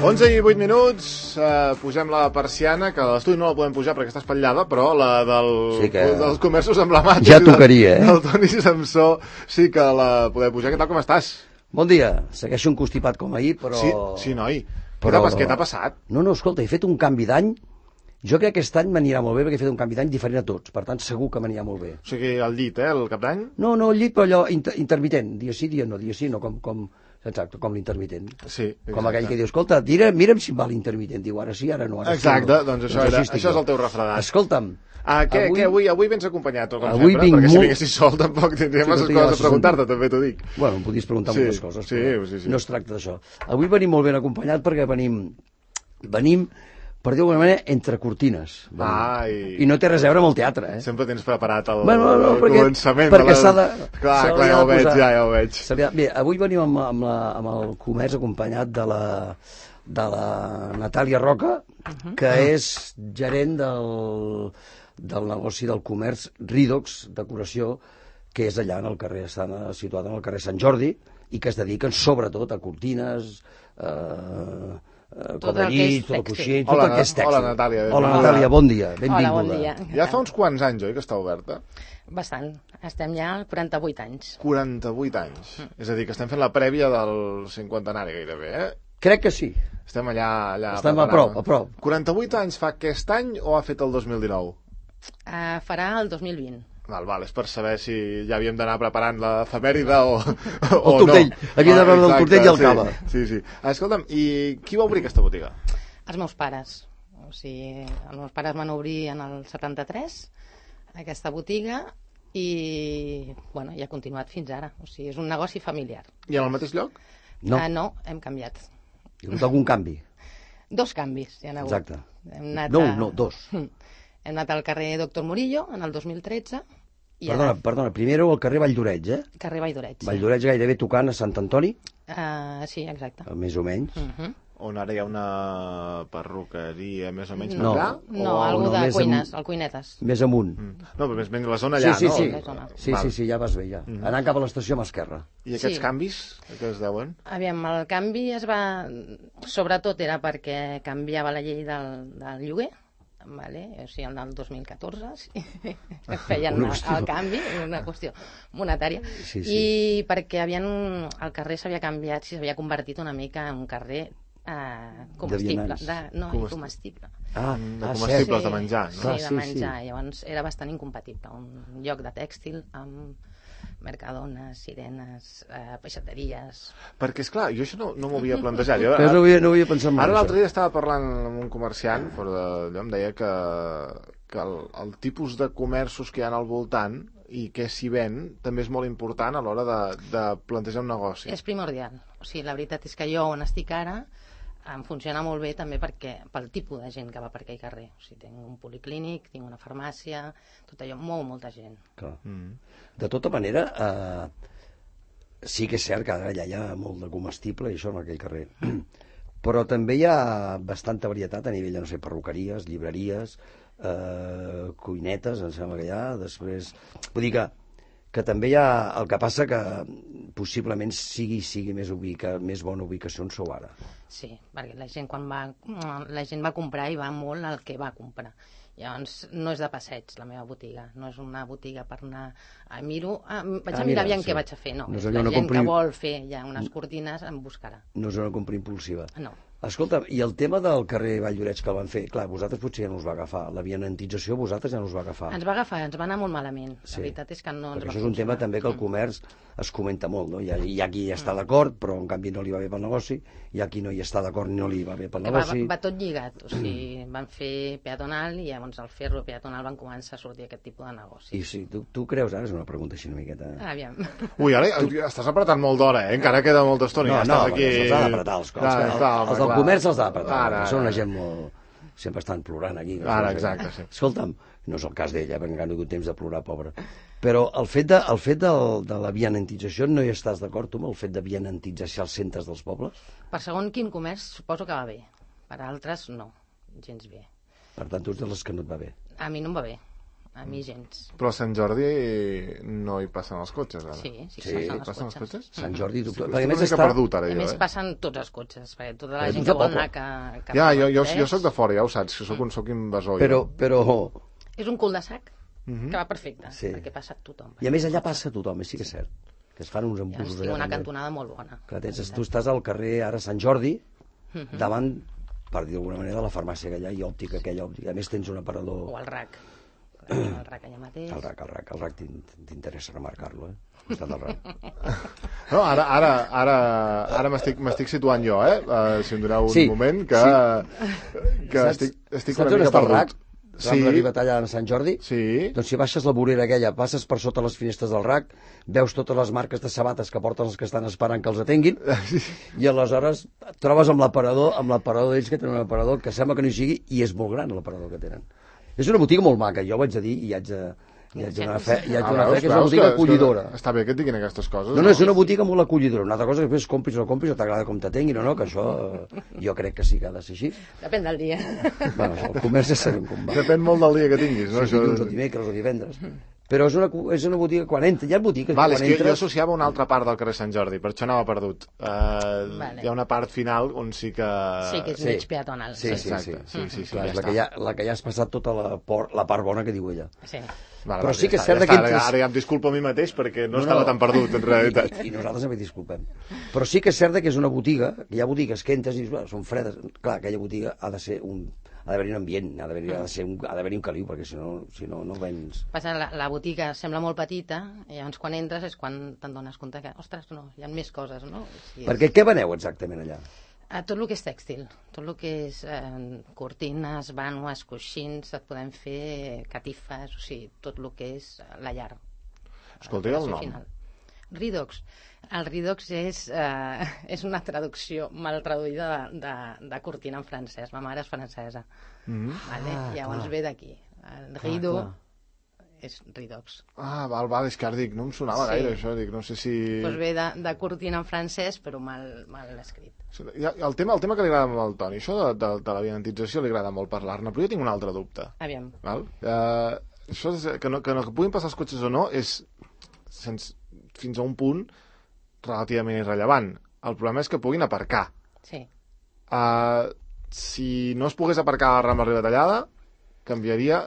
11 i 8 minuts, pugem la persiana, que a l'estudi no la podem pujar perquè està espatllada, però la dels comerços emblemàtics ja tocaria, del Toni Samsó sí que la podem pujar. Què tal, com estàs? Bon dia, segueixo un constipat com ahir, però... Sí, noi. Què t'ha passat? No, escolta, he fet un canvi d'any. Jo crec que aquest any m'anirà molt bé perquè he fet un canvi d'any diferent a tots, per tant segur que m'anirà molt bé. O sigui, al llit, el cap d'any? No, al llit, però allò intermitent, dia sí, dia no, exacte, com l'intermitent. Sí, exacte. Com aquell que diu, escolta, mira'm si em va l'intermitent, diu, ara sí, ara no. Exacte, doncs això és el teu refredat. Escolta'm, avui vens acompanyat, com avui sempre, perquè si vinguessis sol tampoc tindríem massa coses a preguntar-te, també t'ho dic. Bueno, em podies preguntar moltes coses, però sí. No es tracta d'això. Avui venim molt ben acompanyat perquè venim, per dir-ho d'alguna manera, entre cortines. I no té res a veure amb el teatre, eh? Sempre tens preparat el començament. Perquè s'ha de... Clar, ja ho veig. Bé, avui venim amb el comerç acompanyat de la Natàlia Roca, que és gerent del negoci del comerç Ridox Decoració, que és allà en el carrer, està situat en el carrer Sant Jordi, i que es dediquen sobretot a cortines, cobrellit, tot el coixí, tot el que és tèxtil. Hola, Natàlia. Hola, Natàlia, bon dia, benvinguda. Hola, bon dia. Ja fa uns quants anys, oi, que està oberta? Bastant. Estem ja als 48 anys. 48 anys. És a dir, que estem fent la prèvia del cinquantenari gairebé, eh? Crec que sí. Estem allà Estem a prop. 48 anys fa aquest any o ha fet el 2019? Farà el 2020. Val, és per saber si ja havíem d'anar preparant l'efemèride o el tortell. No. Havíem d'anar del tortell i el cava. Sí. Escolta'm, i qui va obrir aquesta botiga? Els meus pares. O sigui, els meus pares van obrir en el 73 aquesta botiga i, bueno, ja ha continuat fins ara. O sigui, és un negoci familiar. I en el mateix lloc? No, hem canviat. Hi ha hagut algun canvi? 2 canvis hi ha hagut. Exacte. No, 2. Hem anat al carrer Doctor Murillo en el 2013. Perdona, primer éreu al carrer Vall d'Oreig, eh? Carrer Vall d'Oreig. Vall d'Oreig gairebé tocant a Sant Antoni? Sí, exacte. Més o menys. On ara hi ha una perruqueria més o menys no, allà? No, algú de cuines, el Cuinetes. Més amunt. No, però més la zona allà, no? Sí, ja vas bé, ja. Anant cap a l'estació a mà esquerra. I aquests canvis, què es deuen? Aviam, el canvi sobretot era perquè canviava la llei del lloguer, vale? O sigui, el del 2014 feien el canvi, una qüestió monetària, i perquè el carrer s'havia canviat, s'havia convertit una mica en un carrer comestible, comestible. De comestibles, de menjar, no? Sí, de menjar. Llavors era bastant incompatible. Un lloc de tèxtil amb mercadones, sirenes, peixateries... Perquè, esclar, jo això no m'ho havia plantejat. No havia pensat mai. Ara l'altre dia estava parlant amb un comerciant, fora d'allò, em deia que el tipus de comerços que hi ha al voltant i què s'hi ven també és molt important a l'hora de plantejar un negoci. És primordial. O sigui, la veritat és que jo on estic ara em funciona molt bé també pel tipus de gent que va per aquell carrer. O sigui, tinc un policlínic, tinc una farmàcia, tot allò, molta gent. Clar. De tota manera, sí que és cert que ara allà hi ha molt de comestible i això en aquell carrer. Però també hi ha bastanta varietat a nivell de, no sé, perruqueries, llibreries, cuinetes, em sembla que hi ha, després... Vull dir que també hi ha... El que passa que possiblement sigui més bona ubicació on sou ara. Sí, perquè la gent va comprar i va molt al que va comprar. Llavors, no és de passeig la meva botiga, no és una botiga per anar a vaig a mirar aviam què vaig a fer, no. La gent que vol fer ja unes cortines em buscarà. No és una compra impulsiva. No. Escolta, i el tema del carrer Vall d'Oreig que el van fer, clar, vosaltres potser ja no us va agafar, la vianantització vosaltres ja no us va agafar. Ens va agafar, ens va anar molt malament. La veritat és que no ens va funcionar. Això és un tema també que el comerç es comenta molt, no? Hi ha qui hi està d'acord, però en canvi no li va bé pel negoci, hi ha qui no hi està d'acord i no li va bé pel negoci. Va tot lligat, o sigui, van fer peatonal i llavors al fer-lo peatonal van començar a sortir aquest tipus de negoci. I sí, tu creus, ara és una pregunta així una miqueta... Aviam. Ui, ara estàs apretant molt d'hora, encara queda molta estona. No, els ha d'apretar els cops. Els del comerç els ha d'apretar. Són una gent molt... Sempre estan plorant aquí. Exacte, sí. Escolta'm, no és el cas d'ella, perquè encara no ha hagut temps de plorar, pobra. Però el fet de la vianantització, no hi estàs d'acord, tu, amb el fet de vianantitzar els centres dels pobles? Per segon quin comerç suposo que va bé. Per altres, no. Gens bé. Per tant, tu ets de les que no et va bé. A mi no em va bé. A mi gens. Però a Sant Jordi no hi passen els cotxes, ara. Sí, Passen els cotxes? Sant Jordi... Estic una mica perdut, ara, A jo, més, passen tots els cotxes, perquè tota la Però gent tu que vol tampoc. anar cap Ja, a jo Vallès. soc de fora, ja ho saps, que soc invasor. Però... És un cul-de-sac que va perfecte, Sí. perquè passa tothom. I a més allà passa tothom, sí que és cert. Que es fan uns Ja embussos tinc una també. cantonada molt bona. Clar, tu estàs al carrer ara Sant Jordi, davant, per dir d'alguna manera, de la farmàcia que hi ha i òptica aquella òptica. A més tens un aparador... O el RAC. El RAC allà mateix. El RAC t'interessa remarcar-lo, eh? Al costat del RAC. No, ara m'estic situant jo, si em doneu un Sí, moment, que estic Saps una on mica està el perdut. RAC? Sí. Arribat allà a Sant Jordi? Sí. Doncs si baixes la vorera aquella, passes per sota les finestres del RAC, veus totes les marques de sabates que porten els que estan esperant que els atenguin, i aleshores et trobes amb l'aparador d'ells, que tenen un aparador que sembla que no hi sigui, i és molt gran l'aparador que tenen. És una botiga molt maca, jo ho haig de dir, i haig de donar fe, que és una botiga acollidora. Està bé que et diguin aquestes coses. No, és una botiga molt acollidora. Una altra cosa que després compris o no compris, o t'agrada com t'atenguin o no, que això jo crec que sí que ha de ser així. Depèn del dia. Bueno, el comerç ja sabem com va. Depèn molt del dia que tinguis, no? Si dilluns o dimecres o divendres. Però és una botiga, quan entra, hi ha botigues Vale, quan és que jo entres... associava una altra part del carrer Sant Jordi, per això anava perdut. Hi ha una part final on sí que... Sí, que és mig peatonal. Sí. Clar, és ja la que ja has passat tota la part bona que diu ella. Sí. Vale, Però sí que és ja cert està, que ara, entres- ara ja em disculpo a mi mateix perquè no estava tan perdut, en realitat. I nosaltres també disculpem. Però sí que és cert que és una botiga, que hi ha botigues que entres i dius, són fredes. Clar, aquella botiga ha de ser ha d'haver-hi un ambient, ha d'haver-hi un caliu, perquè si no, no vens... Passa, la botiga sembla molt petita, i llavors quan entres és quan te'n dones compte que, ostres, no, hi ha més coses, no? Sí, Perquè què veneu exactament allà? tot el que és tèxtil, tot el que és cortines, vànues, coixins, et podem fer catifes, o sigui, tot el que és la llar. Escolta, i el nom? Final. Ridox. El Ridox és una traducció mal traduïda de cortina en francès. Ma mare és francesa. Vale? Llavors ve d'aquí. El Rido és Ridox. Val, és que ara dic, no em sonava gaire això, dic, no sé si... Doncs ve de cortina en francès, però mal escrit. El tema que li agrada molt al Toni, això de l'aviantització li agrada molt parlar-ne, però jo tinc un altre dubte. Aviam. Val? Això que puguin passar els cotxes o no és fins a un punt relativament irrellevant. El problema és que puguin aparcar. Sí. Si no es pogués aparcar a la Rambla Ribatallada, canviaria...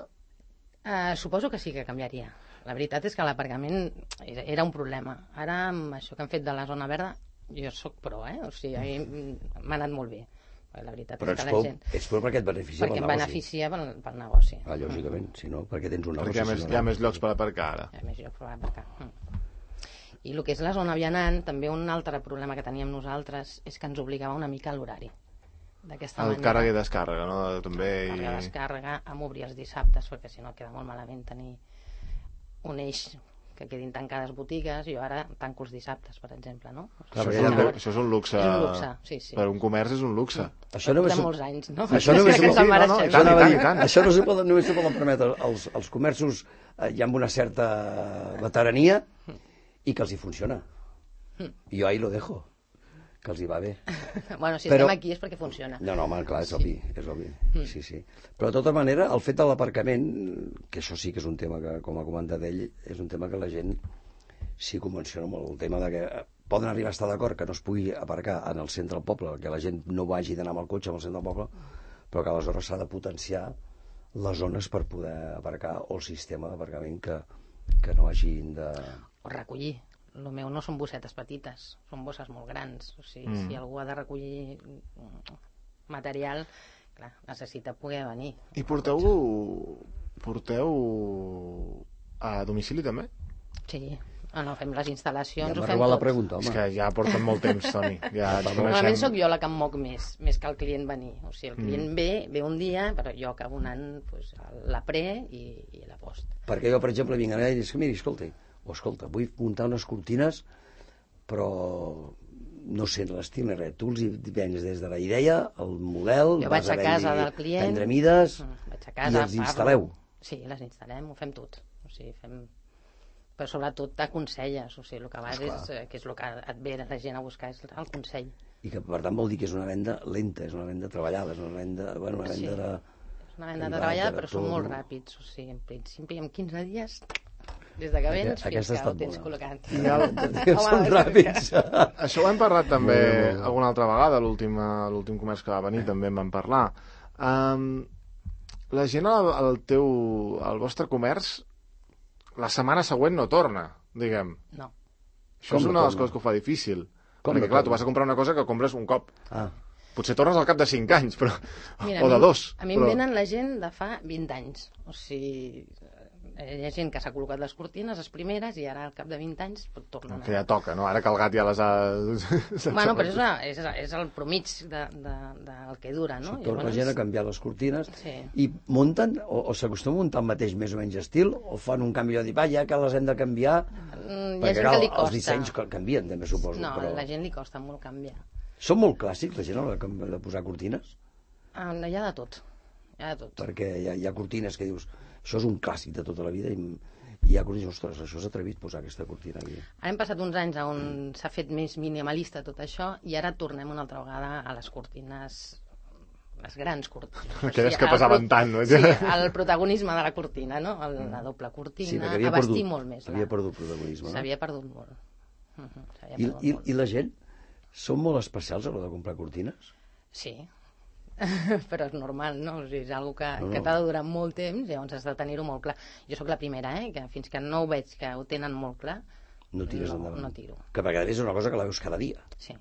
Suposo que sí que canviaria. La veritat és que l'aparcament era un problema. Ara, amb això que han fet de la zona verda, jo sóc pro, O sigui, a mi m'ha anat molt bé. La veritat Però és que la gent... ets pro perquè et beneficia Perquè pel em negoci. beneficia pel negoci. Lògicament, si no, perquè tens un negoci. Perquè hi ha més llocs per aparcar ara. Hi ha més llocs per aparcar. I el que és la zona vianant, també un altre problema que teníem nosaltres és que ens obligava una mica a l'horari. D'aquesta manera... El càrrega i descàrrega, no? També... Càrrega i descàrrega, amb obrir els dissabtes, perquè si no queda molt malament tenir un eix que quedin tancades botigues. Jo ara tanco els dissabtes, per exemple, no? Això és un luxe. És un luxe, sí. Per un comerç és un luxe. Això només... Portem molts anys, no? Això només... Això només se poden permetre els comerços ja amb una certa veterania i que els hi funciona. I jo ahí lo dejo, que els hi va bé. Bueno, si estem aquí és perquè funciona. No, home, clar, és obvi. Sí. Però de tota manera, el fet de l'aparcament, que això sí que és un tema que, com ha comentat ell, és un tema que la gent s'hi convenciona molt. El tema de que poden arribar a estar d'acord que no es pugui aparcar en el centre del poble, que la gent no vagi d'anar amb el cotxe al centre del poble, però que aleshores s'ha de potenciar les zones per poder aparcar, o el sistema d'aparcament que no hagin de... O recollir. El meu no són bossetes petites, són bosses molt grans. O sigui, si algú ha de recollir material, clar, necessita poder venir. I porteu a domicili també? Sí, no, fem les instal·lacions, Ja ho m'ha fem robat la tot. pregunta, home. És que ja porten molt temps, Toni. Ja ens Normalment coneixem. sóc jo la que em moc més que el client venir. O sigui, el client ve un dia, però jo acabo anant la pre i la post. Perquè jo, per exemple, vinc allà i dic, miri, escolta, vull muntar unes cortines, però no sé l'estil ni res. Tu els hi vens des de la idea, el model... Jo vaig a casa del client... Prendre mides vaig a casa, i els instal·leu. Sí, les instal·lem, ho fem tot. O sigui, però sobretot t'aconselles, o sigui, el que vas que és el que et ve la gent a buscar, és el consell. I que, per tant, vol dir que és una venda lenta, és una venda treballada, és una venda... Bueno, una venda de... És una venda de treballada, però són molt ràpids. O sigui, en principi, en 15 dies, des de que vens fins que ho tens col·locat. Són ràpids. Això ho hem parlat també alguna altra vegada, l'últim comerç que va venir també en vam parlar. La gent al vostre comerç la setmana següent no torna, diguem. No. Això és una de les coses que ho fa difícil. Perquè, clar, tu vas a comprar una cosa que compres un cop. Potser tornes al cap de 5 anys, però... o de 2. A mi em venen la gent de fa 20 anys. O sigui, hi ha gent que s'ha col·locat les cortines, les primeres, i ara al cap de 20 anys pot tornar. Que ja toca, no? Ara que el gat ja les ha... Bueno, però és el promig del que dura, no? Torna la gent a canviar les cortines i munten, o s'acostuma a muntar el mateix més o menys estil, o fan un canvi de dir, va, ja que les hem de canviar... Hi ha gent que li costa. Els dissenys canvien, també, suposo. No, a la gent li costa molt canviar. Són molt clàssics, la gent, a l'hora de posar cortines? Hi ha de tot. Perquè hi ha cortines que dius, això és un clàssic de tota la vida, i hi ha cortines, ostres, això és atrevit posar aquesta cortina aquí. Ara hem passat uns anys on s'ha fet més minimalista tot això, i ara tornem una altra vegada a les cortines, les grans cortines. Aquelles que pesaven tant, no? Sí, el protagonisme de la cortina, no? La doble cortina, a vestir molt més. Havia perdut protagonisme, no? S'havia perdut molt. I la gent són molt especials a l'hora de comprar cortines? Sí, però és normal, no? O sigui, és una cosa que t'ha de durar molt temps, llavors has de tenir-ho molt clar. Jo sóc la primera, que fins que no ho veig que ho tenen molt clar, no tires endavant. No tiro. Que perquè és una cosa que la veus cada dia. Sí.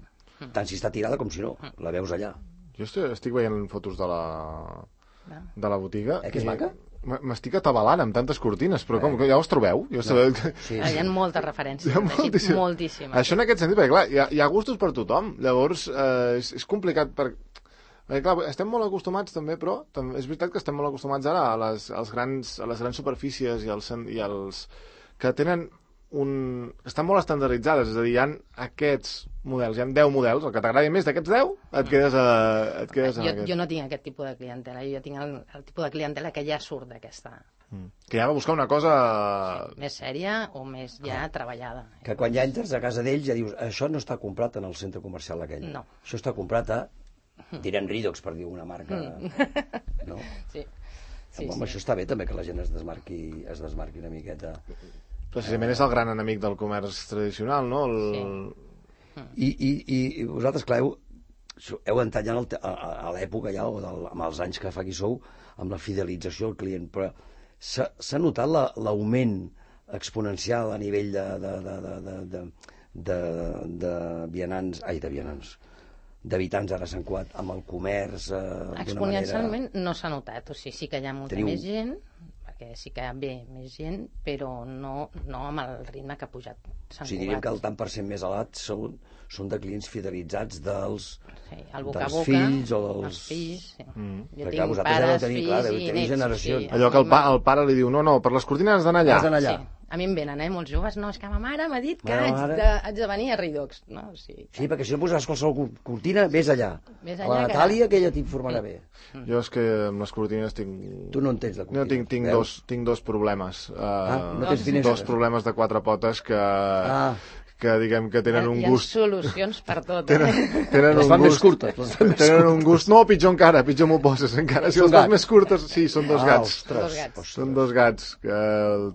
Tant si està tirada com si no, la veus allà. Jo estic veient fotos de la botiga. Que és maca? M'estic atabalant amb tantes cortines, però com, ja us trobeu? Hi ha moltes referències, moltíssimes. Això en aquest sentit, perquè clar, hi ha gustos per tothom, llavors és complicat perquè clar, estem molt acostumats també, però és veritat que estem molt acostumats ara a les grans superfícies i els que tenen estan molt estandarditzades, és a dir, hi ha aquests models, hi ha 10 models, el que t'agradi més d'aquests 10 et quedes en aquest. Jo no tinc aquest tipus de clientela, jo tinc el tipus de clientela que ja surt d'aquesta. Que ja va buscar una cosa... més sèria o més ja treballada. Que quan ja entres a casa d'ells ja dius, això no està comprat en el centre comercial aquell. No. Això està comprat a, direm Ridox, per dir una marca. No? Sí. Home, això està bé també que la gent es desmarqui una miqueta. Precisament és el gran enemic del comerç tradicional, no? I vosaltres, clar, heu entrat ja a l'època ja, o amb els anys que fa que hi sou, amb la fidelització al client, però s'ha notat l'augment exponencial a nivell d'habitants ara a Sant Cugat amb el comerç exponencialment no s'ha notat, o sigui, sí que hi ha molta més gent, perquè sí que ve més gent, però no amb el ritme que ha pujat Sant Cugat. O sigui, diríem que el tant per cent més elevat són de clients fidelitzats dels fills o dels... Els fills, sí. Jo perquè tinc pares, fills i nets. Generacions. Allò que el pare li diu, no, per les cortines has d'anar allà. Sí. A mi em venen, molts joves, no, és que ma mare m'ha dit que haig de venir a Ridox. No? Sí, perquè si no posaràs qualsevol cortina, vés allà. A la Natàlia, que ella t'informarà bé. Jo és que amb les cortines tinc... Tu no entens de cortines. No, tinc dos problemes. No tens finestres? Dos problemes de 4 potes que diguem que tenen un gust... Hi ha solucions per tot. Les fan més curtes. Tenen un gust... No, pitjor encara, pitjor m'ho poses encara. Si les fas més curtes... Sí, són 2 gats. Són 2 gats que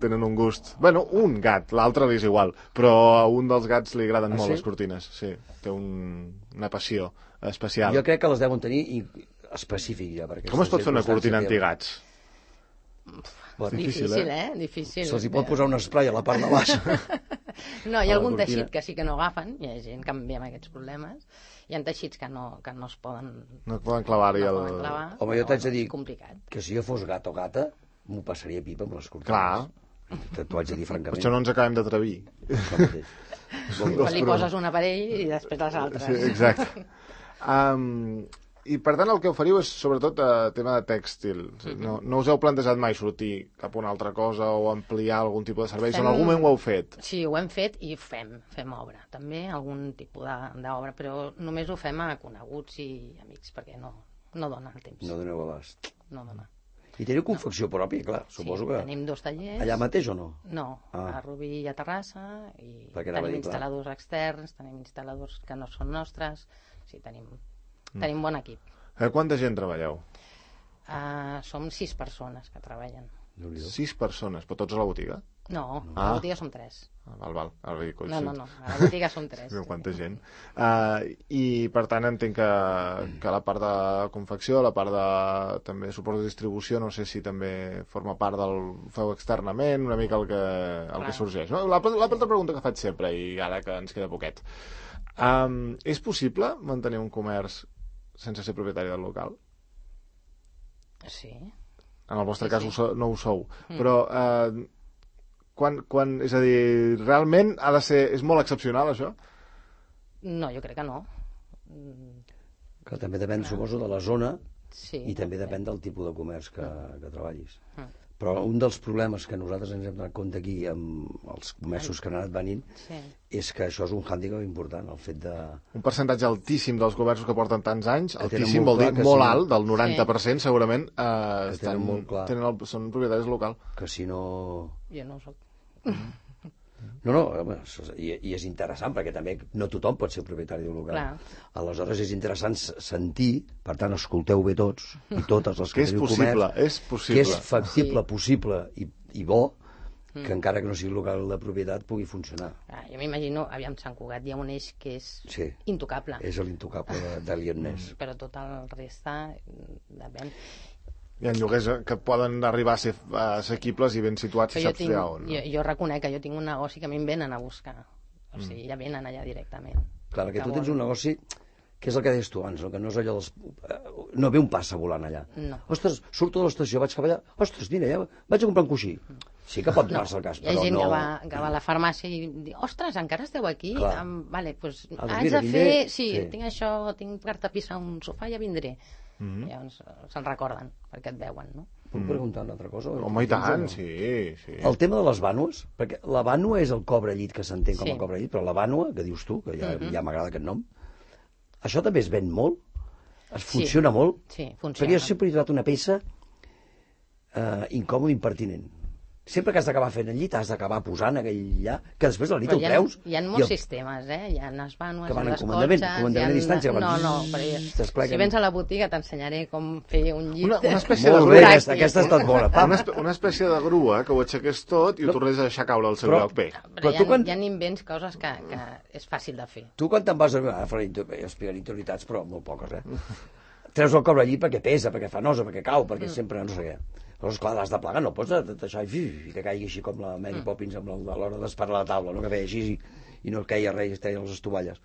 tenen un gust... Bueno, un gat, l'altre li és igual, però a un dels gats li agraden molt les cortines. Sí, té una passió especial. Jo crec que les deuen tenir específic ja. Com es pot fer una cortina antigats? Difícil, Difícil. Se'ls hi pot posar un spray a la part de baix. No, hi ha algun teixit que sí que no agafen, hi ha gent que amb aquests problemes, hi ha teixits que no es poden... No poden clavar-hi Home, jo t'haig de dir que si jo fos gat o gata, m'ho passaria pipa amb les cortines. Clar. T'ho haig de dir francament. Per això no ens acabem d'atrevir. Quan li poses un aparell i després les altres. Sí, exacte. I per tant el que oferiu és sobretot tema de tèxtil. No us heu plantejat mai sortir cap a una altra cosa o ampliar algun tipus de serveis? En algun moment ho heu fet? Sí, ho hem fet i fem obra. També algun tipus d'obra, però només ho fem a coneguts i amics, perquè no dona el temps. No doneu abast. No dona. I teniu confecció pròpia, clar, suposo que... tenim 2 tallers. Allà mateix o no? No, a Rubí i a Terrassa, i tenim instal·ladors externs, tenim instal·ladors que no són nostres, sí, tenim bon equip. Quanta gent treballeu? Som 6 persones que treballen. 6 persones, però tots a la botiga? No, a la botiga som 3. Val, ara dic, No, a la botiga som 3. Quanta gent. I per tant entenc que la part de confecció, la part de també suport de distribució, no sé si també forma part del feu externament, una mica el que sorgeix. No? L'altra pregunta que faig sempre, i ara que ens queda poquet. És possible mantenir un comerç sense ser propietari del local? Sí. En el vostre cas no ho sou. Però és a dir, realment és molt excepcional això? No, jo crec que no. Que també depèn, suposo, de la zona i també depèn del tipus de comerç que treballis. Però un dels problemes que nosaltres ens hem donat compte aquí amb els comerços que han anat venint és que això és un hàndicap important, el fet de... Un percentatge altíssim dels comerços que porten tants anys, altíssim vol dir molt alt, del 90% segurament, són propietaris local. Que si no... Jo no ho soc. No, i és interessant perquè també no tothom pot ser propietari d'un local. Aleshores és interessant sentir, per tant escolteu bé tots i totes les que teniu comerç, que és factible, possible i bo que encara que no sigui local de propietat pugui funcionar. Jo m'imagino, aviam, Sant Cugat hi ha un eix que és intocable. És l'intocable de Lionnès. Però tot el reste depèn. Hi ha lloguers que poden arribar a ser assequibles i ben situats, si saps allà on. Jo reconec que jo tinc un negoci que a mi em venen a buscar. O sigui, ja venen allà directament. Clar, que tu tens un negoci que és el que deies tu abans, que no és allò dels... No ve un passa volant allà. Ostres, surto de l'estació, vaig cap allà, ostres, mira, ja vaig a comprar un coixí. Sí que pot donar-se el cas, però no... Hi ha gent que va a la farmàcia i diu, ostres, encara esteu aquí? Vale, doncs haig de fer... Sí, tinc això, tinc per tapissar un sofà, ja vindré. Llavors se'n recorden perquè et veuen, no? Puc preguntar una altra cosa? Home, i tant, sí. El tema de les vànues, perquè la vànua és el cobrellit que s'entén com a cobrellit, però la vànua, que dius tu, que ja m'agrada aquest nom, això també es ven molt? Es funciona molt? Sí, funciona. Perquè jo sempre he trobat una peça incòmoda i impertinent. Sempre que has d'acabar fent el llit has d'acabar posant aquell allà, que després la nit el treus. Hi ha molts sistemes, Hi ha les vànues, que van en comandament a distància. No, si vens a la botiga t'ensenyaré com fer un llit. Una espècie de grua. Aquesta ha estat bona. Una espècie de grua que ho aixequés tot i ho tornés a deixar caure al seu lloc. Però hi ha invents, coses que és fàcil de fer. Tu quan te'n vas a fer interioritats, però molt poques, treus el cobrellit perquè pesa, perquè fa nosa, perquè cau, perquè sempre no sé què. Llavors, clar, l'has de plegar, no pots deixar i que caigui així com la Mary Poppins a l'hora d'esparar la taula, no? Que feia així i no queia res, es treien les estovalles.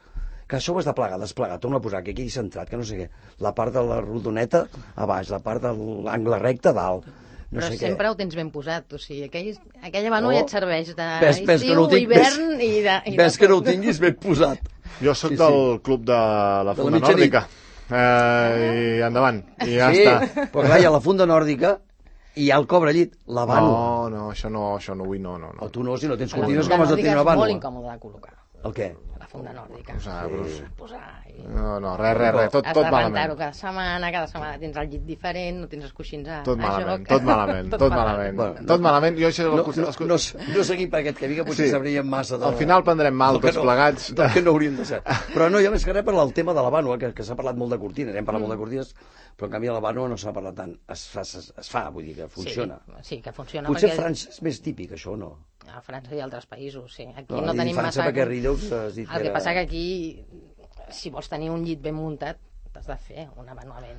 Que això ho has de plegar, desplegar, torna a posar, que quedi centrat, que no sé què. La part de la rodoneta a baix, la part de l'angle recte a dalt. Però sempre ho tens ben posat, o sigui, aquella vànua ja et serveix d'estiu, hivern i de... Ves que no ho tinguis ben posat. Jo sóc del club de la Funda Nòrdica. I endavant, i ja està. Sí, però clar, hi ha la Funda Nòrdica i hi ha el cobrellit, la vànua. No, això no vull, no. O tu no, si no tens cortines, com has de tenir una vànua? És molt incòmode de col·locar. El què? La funda nòrdica. Posar... No, res, tot malament. Has de rentar-ho cada setmana tens el llit diferent, no tens els coixins a joc. Tot malament. No seguim per aquest camí, que potser sabríem massa al final prendrem mal tots plegats. Del que no hauríem de ser. Però no, jo més que res per el tema de la vànua, que s'ha parlat molt de cortines, hem parlat molt de cortines, però en canvi a la vànua no s'ha parlat tant. Es fa, vull dir que funciona. Sí, que funciona. Potser a França és més típic, això, o no? A França i altres països, sí. Aquí no tenim massa... Perquè Rideaux has dit que el que passa que aquí, si vols tenir un llit ben muntat, t'has de fer una vànua ben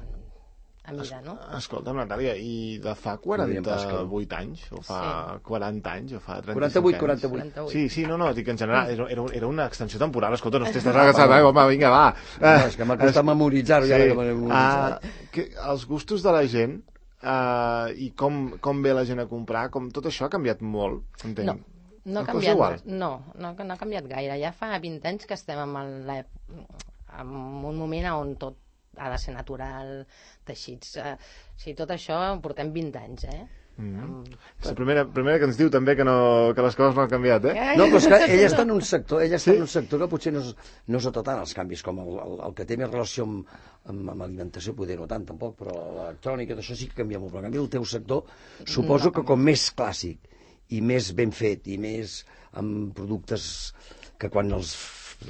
a mida, no? Escolta, Natàlia, i de fa 48 anys, o fa 40 anys, o fa 35 anys... 48. Sí, no, dic en general, era una extensió temporal, escolta, no estàs agassat, home, vinga, va. És que m'ha costat memoritzar-ho, ja que m'he memoritzat. Els gustos de la gent i com ve la gent a comprar, com tot això ha canviat molt, entenc. No ha canviat, no ha canviat gaire. Ja fa 20 anys que estem en un moment on tot ha de ser natural, teixits. Tot això portem 20 anys, És la primera que ens diu també que les coses no han canviat, No, però és que ella està en un sector que potser no es nota tant els canvis, com el que té més relació amb alimentació, poder no tant tampoc, però l'electrònica, això sí que canvia molt. Però en canvi el teu sector suposo que com més clàssic i més ben fet i més amb productes que quan els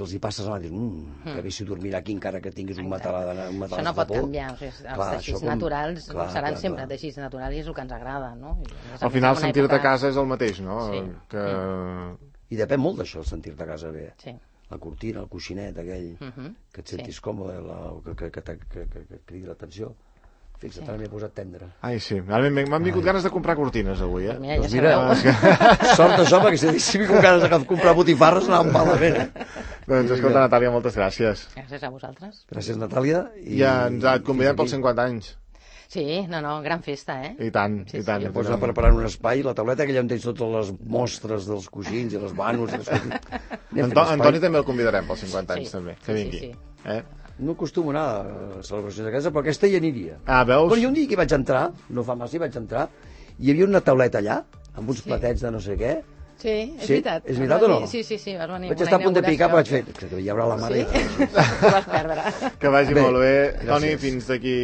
els hi passes a mà i dius, que bé si dormirà aquí encara que tinguis un matalàs de por. Això no pot canviar, o sigui, els teixits naturals seran sempre teixits naturals i és el que ens agrada, no? Al final sentir-te a casa és el mateix, no? I depèn molt d'això, el sentir-te a casa bé. Sí. La cortina, el coixinet aquell, que et sentis còmode, que et cridi l'atenció. Fixa't, ara m'he posat tendre. Ai, sí. M'han vingut ganes de comprar cortines, avui, eh? Mira, ja sort d'això, perquè si vingut ganes de comprar botifarres anàvem malament, Doncs, escolta, Natàlia, moltes gràcies. Gràcies a vosaltres. Gràcies, Natàlia. I et convidem pels 50 anys. Sí, gran festa, eh? I tant, i tant. Ja pots anar preparant un espai, la tauleta, que allà on tens totes les mostres dels coixins i les vanos. Antoni també el convidarem pels 50 anys, també, que vingui. No acostumo a anar a celebracions de casa, però aquesta hi aniria. Veus? Però jo un dia que vaig entrar, no fa massa, vaig entrar, hi havia una tauleta allà, amb uns platets de no sé què. Sí, és veritat. És veritat o no? Sí, vas venir. Vaig estar a punt de picar, però vaig fer, que hi haurà la mare. Sí? Ho vas perdre. Que vagi molt bé. Toni, fins d'aquí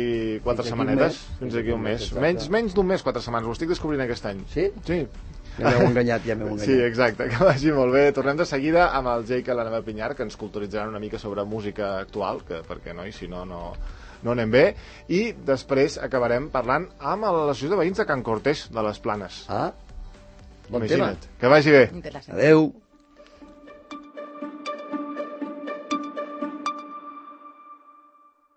4 setmanetes. Fins d'aquí un mes. Menys d'un mes, 4 setmanes. Ho estic descobrint aquest any. Sí? Sí. Ja m'heu enganyat. Sí, exacte, que vagi molt bé. Tornem de seguida amb el Jake i l'Anna Pinyar, que ens culturitzaran una mica sobre música actual, que perquè no, i si no anem bé. I després acabarem parlant amb l'associació de veïns de Can Cortés, de les Planes. Bon tema. Que vagi bé. Adeu.